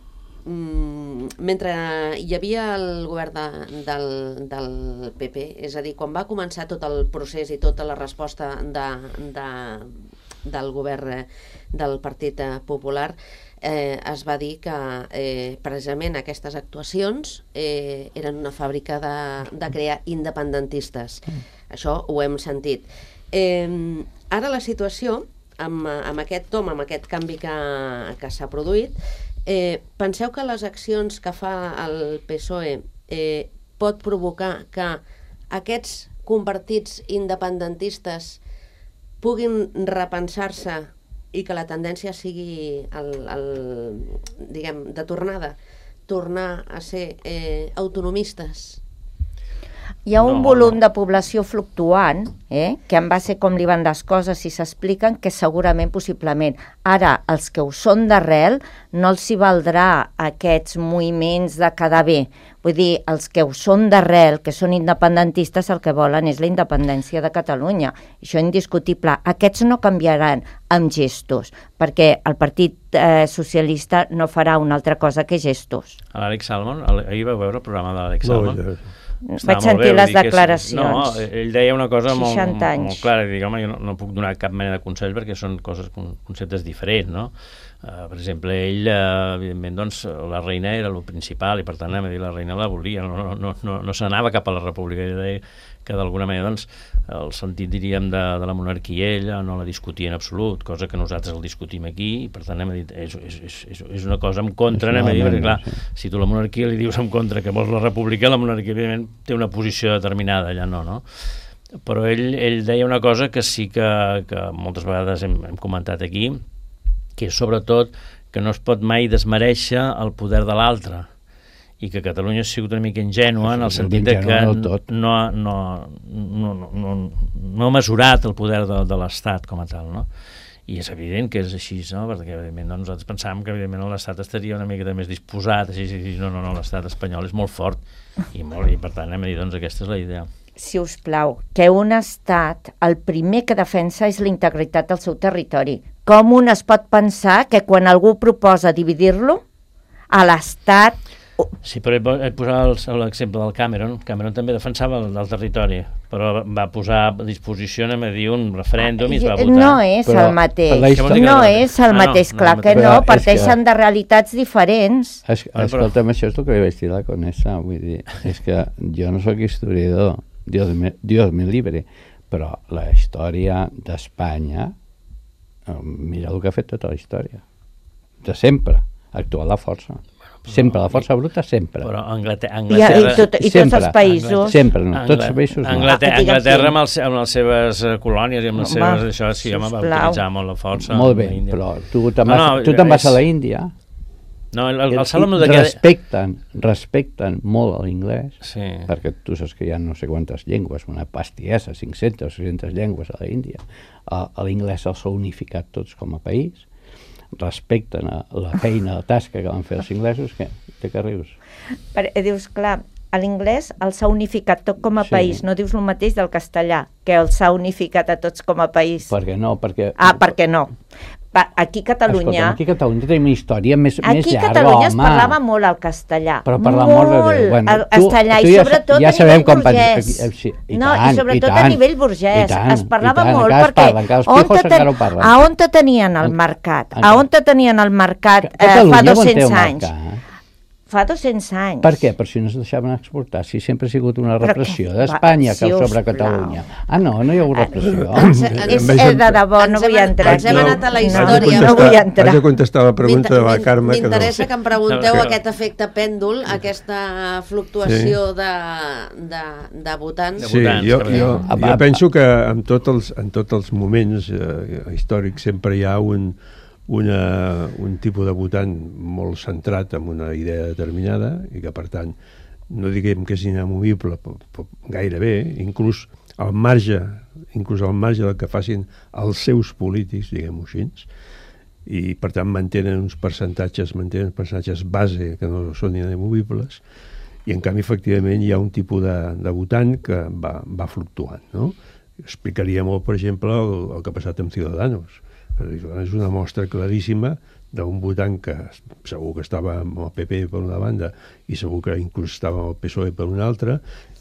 mentre hi havia el govern de, del, del P P, és a dir, quan va començar tot el procés i tota la resposta de, de, del govern del Partit Popular, eh, es va dir que eh, precisament aquestes actuacions eh, eren una fàbrica de, de crear independentistes. Això ho hem sentit. Eh, ara la situació, amb, amb aquest tom, amb aquest canvi que, que s'ha produït, Eh, penseu que les accions que fa el P S O E eh, pot provocar que aquests convertits independentistes puguin repensar-se i que la tendència sigui el, el, diguem, de tornada, tornar a ser eh, autonomistes? Hi ha un no, volum no. de població fluctuant, eh, que en base com li van les coses i s'expliquen, que segurament, possiblement. Ara, els que ho són d'arrel, no els hi valdrà aquests moviments de quedar bé. Vull dir, els que ho són d'arrel, que són independentistes, el que volen és la independència de Catalunya. Això és indiscutible. Aquests no canviaran amb gestos, perquè el Partit eh, Socialista no farà una altra cosa que gestos. L'Àlex Salmond, ahir vau veure el programa de l'Àlex No, Salmond? ja. Vaig sentir les declaracions. No, ell deia una cosa molt, molt, anys. molt clara, dic, home, jo no, no puc donar cap mena de consell perquè són coses, conceptes diferents, no? Uh, per exemple, ell, uh, evidentment, doncs, la reina era el principal i per tant, a dir, la reina la volia, no, no, no, no, no s'anava cap a la república, ell deia que d'alguna manera, doncs, el sentit, diríem, de, de la monarquia ella no la discutia en absolut, cosa que nosaltres el discutim aquí, i per tant, hem dit, és, és, és, és una cosa en contra, anem a dir, perquè clar, sí. Si tu la monarquia li dius en contra que vols la república, la monarquia, evidentment, té una posició determinada, allà no, no? Però ell, ell deia una cosa que sí que, que moltes vegades hem, hem comentat aquí, que és sobretot que no es pot mai desmereixer el poder de l'altre i que Catalunya ha sigut una mica ingènua en el sentit de que no, no, no, no, no, no ha mesurat el poder de, de l'Estat com a tal, no? I és evident que és així, no? Perquè evidentment no, nosaltres pensàvem que evidentment l'Estat estaria una mica més disposat, així, així, no, no, no, l'Estat espanyol és molt fort i, molt, i per tant hem de dir, doncs aquesta és la idea. Si us plau, que un estat el primer que defensa és la integritat del seu territori. Com un es pot pensar que quan algú proposa dividir-lo, a l'estat... Sí, però he posat l'exemple del Cameron. Cameron també defensava el, el territori, però va posar a disposició, anem a dir, un referèndum i es va votar. No és però, el mateix, història... no és el ah, mateix, no, clar no que no, parteixen que... de realitats diferents. Es, escolta'm, això és el que li vaig dir a la Conesa, vull dir, és que jo no sóc historiador, Dios me, Dios me libre, però la història d'Espanya, mira el que ha fet tota la història, de sempre, actuar la força. Sempre, la força bruta, sempre. Però Anglaterra... Anglaterra I, i, tot, i tots els països... Sempre, no, tots els països no. Anglaterra, Anglaterra amb, els, amb les seves colònies i amb les seves... Això sí, home, va utilitzar molt la força. Molt bé, però tu te'n vas, no, no, tu te'n vas és... a la Índia... No, el, el, el Salomó de respecten, respecten molt l'inglès, sí. Perquè tu saps que hi ha no sé quantes llengües, una pastiesa, cinc-centes o sis-centes llengües a la Índia. L'inglès els ha unificat tots com a país, respecten la feina, la tasca que van fer els inglesos, que té que rius. Per, dius, clar, l'inglès els ha unificat tot com a sí. país, no dius el mateix del castellà, que els ha unificat a tots com a país. Per què no? Perquè... Ah, per què no? Va, aquí a Catalunya... Escolta, aquí a Catalunya tenim una història més, aquí més llarga, home. Aquí a Catalunya es parlava molt el castellà. Però per l'amor de Déu. Bueno, el castellà, tu, i tu sobretot ja, ja a nivell com burgès. I, i, i no, tant, i sobretot i tant, a nivell burgès. Tant, es parlava tant, molt perquè... perquè... Parlen, que els pijos encara ho parlen. A on te tenien el mercat? A on te tenien el mercat eh, fa dos-cents anys? Fa dos-cents anys. Per què? Per si no es deixaven exportar. Si sempre ha sigut una repressió d'Espanya que sobre Catalunya. Ah, no? No hi ha hagut repressió? És de debò, no vull entrar. Ens hem anat a la història. No vull entrar. Haig de contestar la pregunta de la Carme. M'interessa que em pregunteu aquest efecte pèndol, aquesta fluctuació de votants. Sí, jo jo penso que en tots els moments històrics sempre hi ha un Una, un tipus de votant molt centrat en una idea determinada i que, per tant, no diguem que és inamovible, però, però gairebé, inclús al marge, inclús al marge del que facin els seus polítics, diguem-ho així, i, per tant, mantenen uns percentatges, mantenen uns percentatges base que no són inamovibles, i, en canvi, efectivament, hi ha un tipus de, de votant que va, va fluctuant, no? Explicaria molt, per exemple, el, el que ha passat amb Ciudadanos. És una mostra claríssima d'un votant que segur que estava amb el P P per una banda i segur que inclús estava amb el P S O E per una altra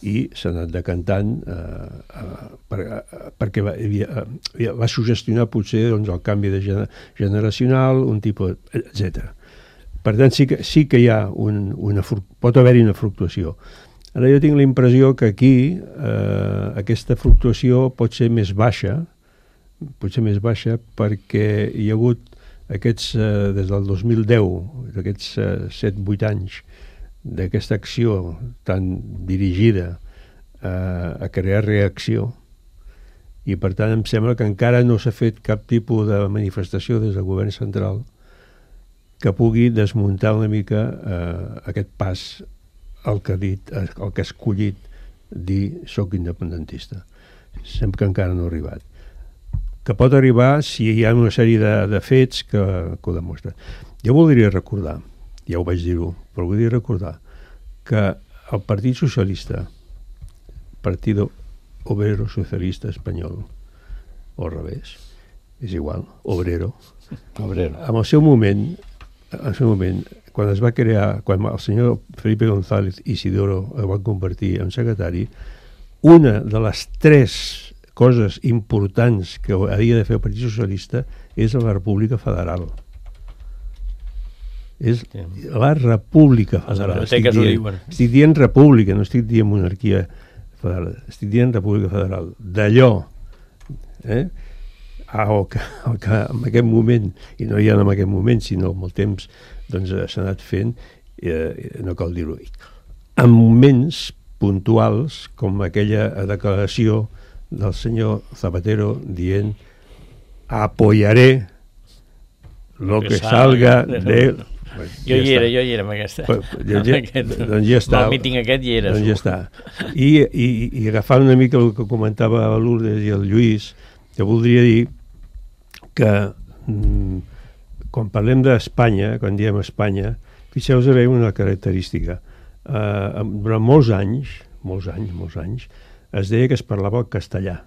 i s'ha anat decantant eh, eh, per, eh, perquè va, havia, eh, va sugestionar potser doncs, el canvi de gener, generacional, un tipus, etcètera. Per tant, sí que, sí que hi ha un, una, pot haver-hi una fluctuació. Ara jo tinc la impressió que aquí eh, aquesta fluctuació pot ser més baixa, potser més baixa perquè hi ha hagut aquests, eh, des del dos mil deu, d'aquests eh, set vuit anys d'aquesta acció tan dirigida eh, a crear reacció i per tant em sembla que encara no s'ha fet cap tipus de manifestació des del govern central que pugui desmuntar una mica eh, aquest pas el que ha dit, el que ha escollit dir soc independentista. Sembla que encara no ha arribat. Que pot arribar si hi ha una sèrie de, de fets que, que ho demostren. Jo voldria recordar, ja ho vaig dir-ho, però voldria recordar que el Partit Socialista, Partido Obrero Socialista Espanyol, o al revés, és igual, obrero, obrero. En el seu moment, en el seu moment, quan es va crear, quan el senyor Felipe González Isidoro el va convertir en secretari, una de les tres coses importants que havia de fer el Partit Socialista és la República Federal. És la República Federal. Estic dient, estic dient república, no estic dient monarquia federal, estic dient República Federal. D'allò, eh, el que, el que en aquest moment, i no ja en aquest moment, sinó amb el temps, doncs s'ha anat fent, eh, no cal dir-ho, en moments puntuals, com aquella declaració del senyor Zapatero dient apoyaré lo que salga de... Jo hi era, jo hi era amb aquesta. Doncs ja està. El míting aquest hi era. Doncs ja està. I agafant una mica el que comentava Lourdes i el Lluís, jo voldria dir que quan parlem d'Espanya, quan diem Espanya, fixeu-vos a veure una característica. Durant molts anys, molts anys, molts anys, es deia que es parlava el castellà.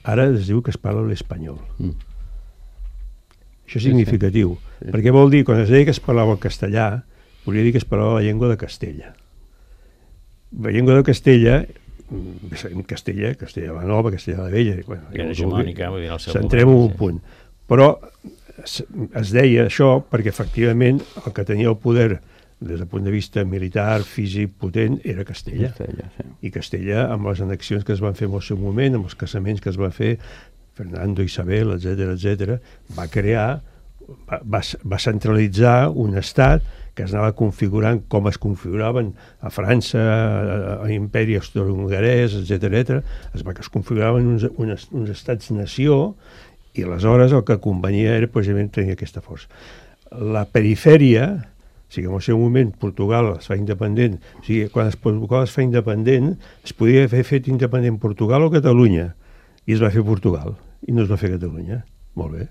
Ara es diu que es parla l'espanyol. Mm. Això és significatiu, sí, sí. Perquè vol dir, quan es deia que es parlava el castellà, volia dir que es parlava la llengua de Castella. La llengua de Castella, Castella, Castella la Nova, Castella la Vella... Bueno, que era hegemònica, vull dir, el seu centrem en un punt. Però es deia això perquè, efectivament, el que tenia el poder des del punt de vista militar, físic, potent, era Castella. Castella sí. I Castella, amb les annexions que es van fer en el seu moment, amb els casaments que es van fer, Fernando, Isabel, etcètera, etcètera, va crear, va, va, va centralitzar un estat que es anava configurant com es configuraven a França, a l'imperi austro-hongarès, etcètera, etcètera, es, va, es configuraven uns, uns, uns estats-nació i aleshores el que convenia era precisament tenir aquesta força. La perifèria, o sigui, en el seu moment Portugal es fa independent, o sigui, quan es, Portugal es fa independent es podia haver fet independent Portugal o Catalunya, i es va fer Portugal i no es va fer Catalunya. Molt bé.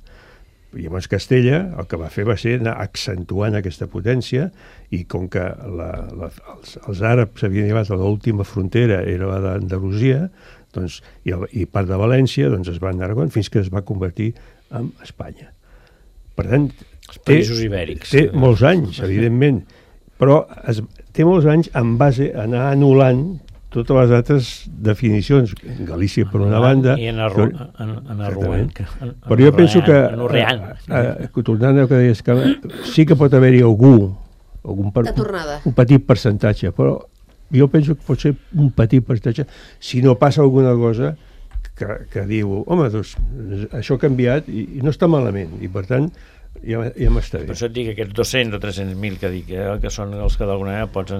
I llavors Castella el que va fer va ser anar accentuant aquesta potència i com que la, la, els, els àrabs havien arribat a l'última frontera, era la d'Andalusia, doncs, i, el, i part de València, doncs es va anar fins que es va convertir en Espanya. Per tant, Els té, països ibèrics. té molts anys, evidentment, però es, té molts anys en base a anar anul·lant totes les altres definicions. Galícia, per una banda... I en arruant. Però jo penso que, eh, eh, tornant al que deies, que sí que pot haver-hi algú, algun per, un petit percentatge, però jo penso que pot ser un petit percentatge, si no passa alguna cosa que, que diu, home, doncs, això ha canviat i, i no està malament, i per tant ja, ja m'està bé. Per això et dic que aquests dos-cents o tres-cents mil que dic, eh, que són els que d'alguna manera pots...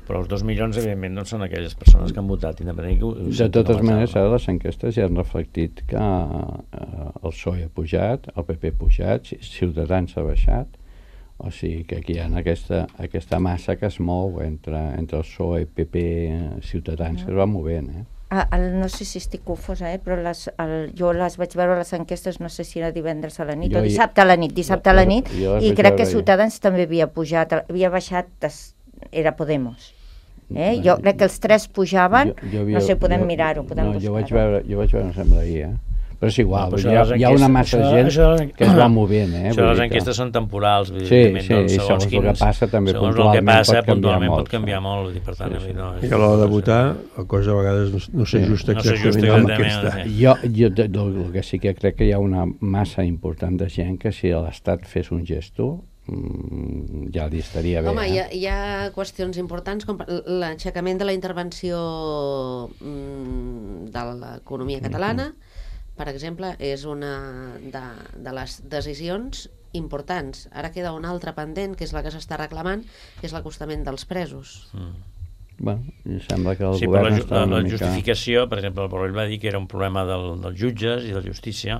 Però els dos milions, evidentment, no són aquelles persones que han votat independentment. De totes maneres, ara les enquestes ja han reflectit que eh, el P S O E ha pujat, el P P ha pujat, Ciutadans ha baixat, o sigui que aquí hi ha aquesta, aquesta massa que es mou entre, entre el P S O E, P P, Ciutadans, que es va movent, eh? Ah, el, no sé si estic confosa, eh? Però les, el, jo les vaig veure les enquestes, no sé si era divendres a la nit jo, o dissabte a la nit, dissabte a la nit, jo, jo i crec que Ciutadans jo. també havia pujat, havia baixat, era Podemos. Eh? Jo crec que els tres pujaven, jo, jo havia, no sé, podem jo, mirar-ho, podem no, buscar-ho. Jo vaig veure, jo vaig veure, em sembla ahir, eh? Però és igual, no, però hi, ha, hi ha una massa de gent això, això, que es va movent. Eh? Això les enquestes que... són temporals. Vull dir, sí, sí, doncs, segons, segons quins, el que passa també puntualment, que passa, pot, puntualment canviar pot canviar molt. molt dir, per tant, sí, sí. No, I a l'hora de votar, la cosa a vegades no, no s'ajusta sí, exactament no amb aquesta. Sí. Jo, jo el que sí que crec que hi ha una massa important de gent que si l'Estat fes un gesto mm, ja li estaria bé. Home, eh? hi, ha, hi ha qüestions importants com l'aixecament de la intervenció mm, de l'economia catalana, mm-hmm. per exemple, és una de, de les decisions importants. Ara queda una altra pendent, que és la que s'està reclamant, que és l'acostament dels presos. Mm. Bueno, em sembla que el sí, govern la, està una la, la mica... justificació, per exemple, el Borrell va dir que era un problema del, dels jutges i de la justícia,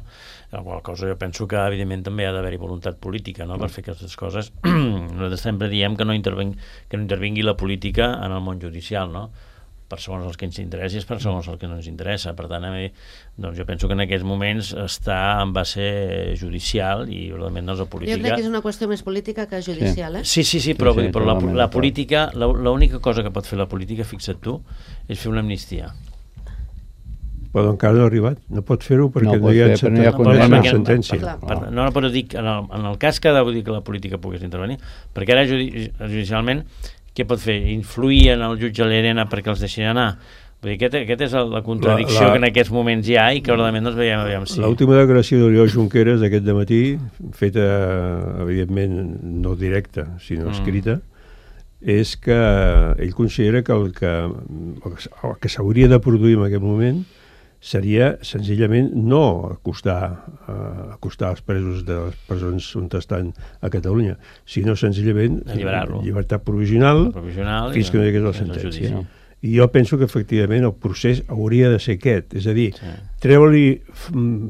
en la qual cosa jo penso que, evidentment, també ha d'haver-hi voluntat política, no?, per fer aquestes coses. Nosaltres sempre diem que no, interveng, que no intervingui la política en el món judicial, no?, per segons els que ens interessa i per segons el que no ens interessa. Per tant, a mi, doncs jo penso que en aquests moments està en base judicial i realment no és la política. Jo crec que és una qüestió més política que judicial, eh? Sí, sí, sí, però, sí, sí, però la, la política, l'única cosa que pot fer la política, fixa't tu, és fer una amnistia. Però encara no ha arribat, no pot fer-ho perquè no, no hi ha, fer, no hi ha no, no, sentència. Per, per, per, no, però dic, en el, en el cas que ha de dir que la política pogués intervenir, perquè ara judicialment què pot fer? Influir en el jutge Llerena perquè els deixin anar? Vull dir, aquest, aquest és la contradicció la, la, que en aquests moments hi ha i que realment no es veiem aviam si... L'última declaració d'Oriol Junqueras aquest dematí, feta, evidentment, no directa, sinó mm. escrita, és que ell considera que el que, el que s'hauria de produir en aquest moment seria senzillament no acostar, uh, acostar els presos de les presons on estan a Catalunya, sinó senzillament llibertat provisional, provisional fins que no hi hagués la sentència. No? I jo penso que efectivament el procés hauria de ser aquest, és a dir, sí. treure-li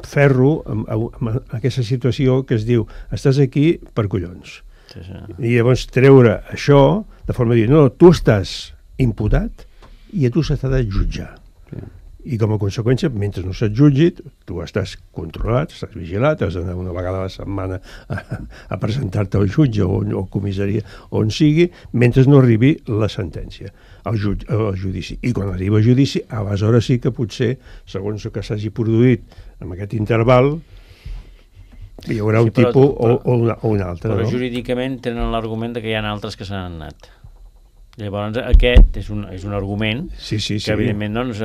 ferro en, en, en aquesta situació que es diu estàs aquí per collons. Sí, sí. I llavors treure això de forma de dir, no, tu estàs imputat i a tu s'ha de jutjar. Sí. I com a conseqüència, mentre no se't jutgi, tu estàs controlat, estàs vigilat, has d'anar una vegada a la setmana a, a presentar-te al jutge o, o comissaria, on sigui, mentre no arribi la sentència, al, jutge, al judici. I quan arriba al judici, aleshores sí que potser, segons el que s'hagi produït en aquest interval, hi haurà un sí, però, tipus però, o, o, una, o un altre. Però no? Jurídicament tenen l'argument que hi ha altres que s'han anat. Llavors aquest és un, és un argument sí, sí, sí. que evidentment doncs,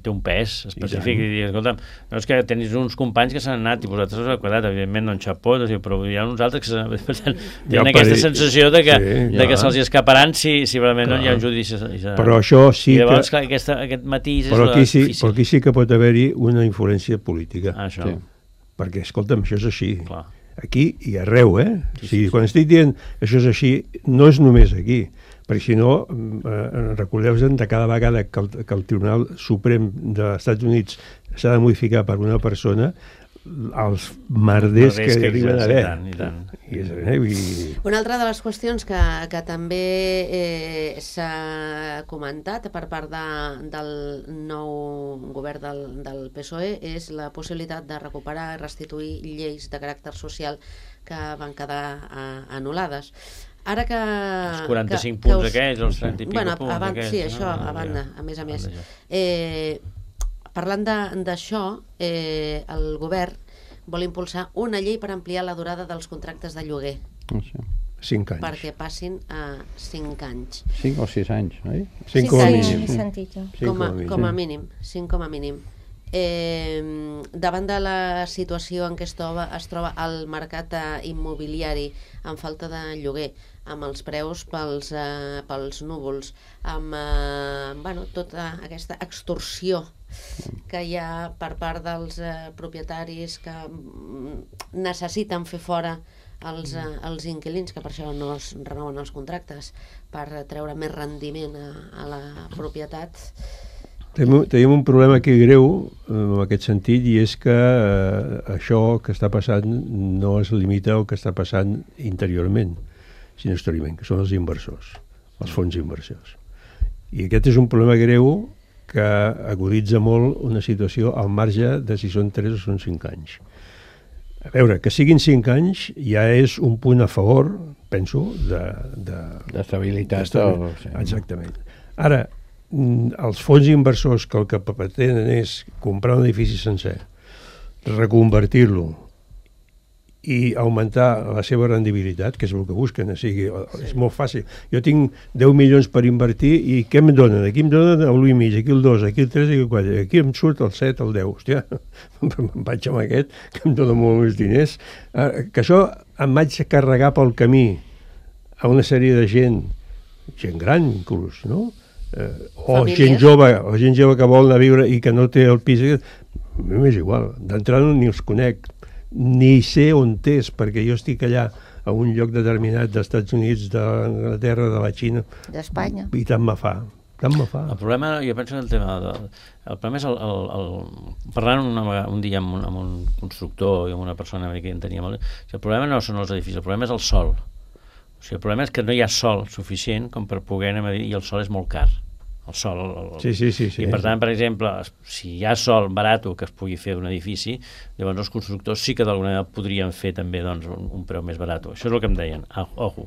té un pes específic i, i dir, escolta, no és que tenis uns companys que s'han anat i vosaltres us heu quedat, evidentment no en xapó, però hi ha uns altres que tenen ja aquesta sensació de que, sí, de que se'ls escaparan si, si realment clar. No hi ha un judici. Però això sí I llavors, que... clar, aquesta, aquest matís però és aquí, sí, difícil. Però aquí sí que pot haver-hi una influència política. Ah, això. Sí. Perquè, escolta'm, això és així. Clar. Aquí i arreu, eh? Sí, sí, o sigui, sí. Quan estic dient això és així, no és només aquí, perquè si no, eh, recordeu-vos de cada vegada que el, que el Tribunal Suprem dels Estats Units s'ha de modificar per una persona, els merders que, que arriben a haver. I tant, i tant. I és, eh, i... Una altra de les qüestions que, que també eh, s'ha comentat per part de, del nou govern del, del P S O E és la possibilitat de recuperar i restituir lleis de caràcter social que van quedar eh, anul·lades. Ara que... Els quaranta-cinc que, punts que us... aquells, els trenta i pico bueno, punts abans, aquells. Sí, això, no? a banda, a més a més. Eh, parlant d'això, eh, el govern vol impulsar una llei per ampliar la durada dels contractes de lloguer, No sé. Cinc anys. perquè passin a cinc anys. Cinc o sis anys, oi? Cinc Sí, com a sí, mínim. He sentit jo. Cinc Com a, mínim. com a mínim, cinc com a mínim. Eh, davant de la situació en què es troba, es troba el mercat eh, immobiliari amb falta de lloguer, amb els preus pels, eh, pels núvols, amb eh, bueno, tota aquesta extorsió que hi ha per part dels eh, propietaris que mm, necessiten fer fora els, eh, els inquilins, que per això no es renoven els contractes, per treure més rendiment a, a la propietat. Tenim, tenim un problema aquí greu en aquest sentit, i és que eh, això que està passant no es limita al que està passant interiorment, sinó exteriorment, que són els inversors, els fons inversors. I aquest és un problema greu que aguditza molt una situació al marge de si són tres o són cinc anys. A veure, que siguin cinc anys ja és un punt a favor, penso, de... D'estabilitat. d'estabilitat. Exactament. Ara, els fons inversors que el que pretenen és comprar un edifici sencer, reconvertir-lo i augmentar la seva rendibilitat, que és el que busquen, o sigui, és molt fàcil. Jo tinc deu milions per invertir i què em donen? Aquí em donen l'u i mig, aquí el dos, aquí el tres, aquí el quatre, aquí em surt el set, el deu. Hòstia, em vaig amb aquest, que em dona molt més diners. Que això em vaig carregar pel camí a una sèrie de gent, gent gran inclús, no? Eh, o Famílies. gent jove, o gent jove que vol anar a viure i que no té el pis, a mi m'és igual, d'entrada ni els conec, ni sé on és, perquè jo estic allà a un lloc determinat dels Estats Units, d'Anglaterra, de la Xina, D'Espanya. i tant me fa, tant me fa. El problema, jo penso que el tema de, el problema és el, el, el parlant una, vegada- un dia amb un, amb un constructor i amb una persona que en tenia molt, el problema no són els edificis, el problema és el sol. O sigui, el problema és que no hi ha sol suficient com per poder anar a dir, i el sol és molt car. El sol. El, el, Sí, sí, sí, sí. I per tant, per exemple, si hi ha sol barat que es pugui fer d'un edifici, llavors els constructors sí que d'alguna manera podrien fer també doncs, un, un preu més barat. Això és el que em deien. Ah, ojo.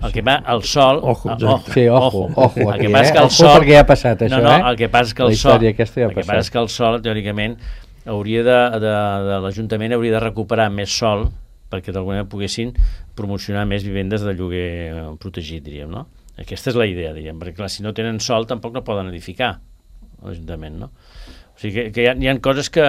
El que va, el sol... Ojo, ah, exacte. Sí, ojo, ojo El aquí, que passa és eh? que el Ojo sol... perquè ja ha passat això, no, no, eh? el que passa és que el La sol... història aquesta ja ha el que passat. passa és que el sol, teòricament, hauria de, de, de l'Ajuntament hauria de recuperar més sol perquè d'alguna manera poguessin promocionar més vivendes de lloguer eh, protegit, diríem, no? Aquesta és la idea, diríem, perquè clar, si no tenen sol tampoc no poden edificar l'Ajuntament, no? O sigui que, que hi, ha, hi ha coses que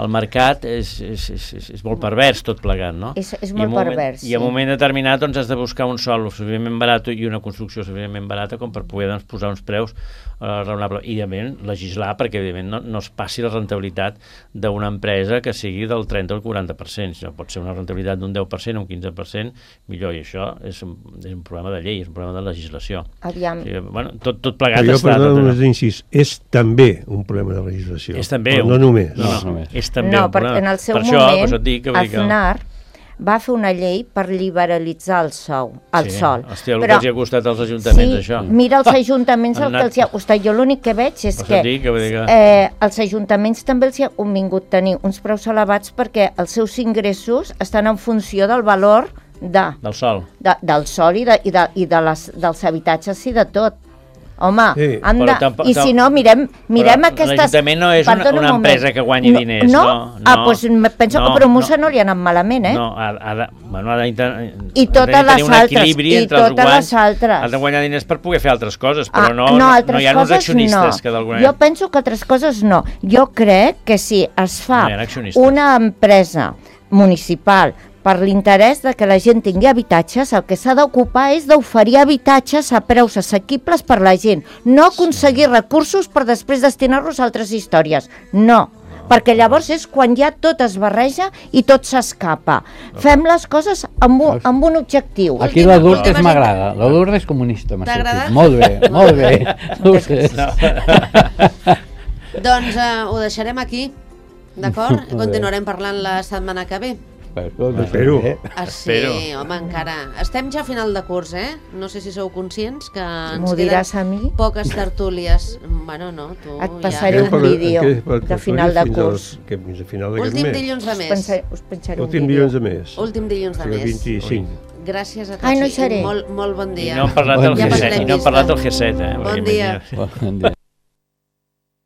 el mercat és, és, és, és, és molt pervers tot plegat, no? És, és I molt en un moment- pervers, I en un sí. moment determinat doncs, has de buscar un sòl suficientment barat i una construcció suficientment barata com per poder doncs, posar uns preus eh, raonables. I, evidentment, legislar perquè, evidentment, no, no es passi la rentabilitat d'una empresa que sigui del trenta o el quaranta per cent. Si no pot ser una rentabilitat d'un deu per cent o un quinze per cent, millor. I això és un, és un problema de llei, és un problema de legislació. Aviam, O sigui, bueno, tot, tot plegat Però jo, està... perdó, tot, només incís, és també un problema de legislació. és també Però un, no només. No, No, no, només. és també no, un perquè problema. en el seu per això, per moment això et dic que, vull dir que... Aznar va fer una llei per liberalitzar el sou, el Sí, sol. hòstia, el que els hi ha costat als ajuntaments, sí, això. mira els ajuntaments el Han que anat- els hi ha costat. Jo l'únic que veig és Per que això et dic que vull dir que- eh, els ajuntaments també els hi ha convingut tenir uns preus elevats perquè els seus ingressos estan en funció del valor de, Del sol. de, del sol i, de, i, de, i de les, dels habitatges i de tot. Home, Sí, han però de, tampoc- i si no, mirem, mirem Però aquestes... l'Ajuntament no és una- Perdona un una moment. empresa que guanyi diners, no, no, Ah, doncs penso no, que a Promusa no. no, li ha anat malament, eh? No, ha, ha de, bueno, ha de, I totes les un altres, equilibri i entre els totes guanys. les altres. Ha de guanyar diners per poder fer altres coses, però Ah, no, no, no, altres no hi ha uns coses accionistes no. que d'alguna Jo manera... penso que altres coses no. Jo crec que si es fa No hi ha accionistes. una empresa municipal per l'interès de que la gent tingui habitatges, el que s'ha d'ocupar és d'oferir habitatges a preus assequibles per la gent, no aconseguir recursos per després destinar-los a altres històries. No, perquè llavors és quan ja tot es barreja i tot s'escapa. Fem les coses amb un, amb un objectiu. Aquí la Lourdes Última- m'agrada. La Lourdes comunista m'ha T'ha agradat? sortit. Molt bé, molt bé. Lourdes. Doncs eh, ho deixarem aquí, d'acord? Continuarem parlant la setmana que ve. Espero. Ah, sí, Espero. home, encara. Estem ja a final de curs, eh? No sé si sou conscients que ens M'ho queden diràs a mi? poques tertúlies. Bueno, no, tu Et ja... passaré un Per- vídeo què- per- de final de fins curs. als- que fins a final d'aquest Últim mes. dilluns de Us, mes. pensaré, us penjaré un Últim vídeo. dilluns de mes. Últim dilluns de O sigui, mes. vint-i-cinc. Gràcies a tots. Ai, no hi i seré. Molt, molt bon I dia. no hem parlat del Bon dia. G set, i no hem parlat del G set, eh? Bon Perquè dia. imagina't. Bon dia.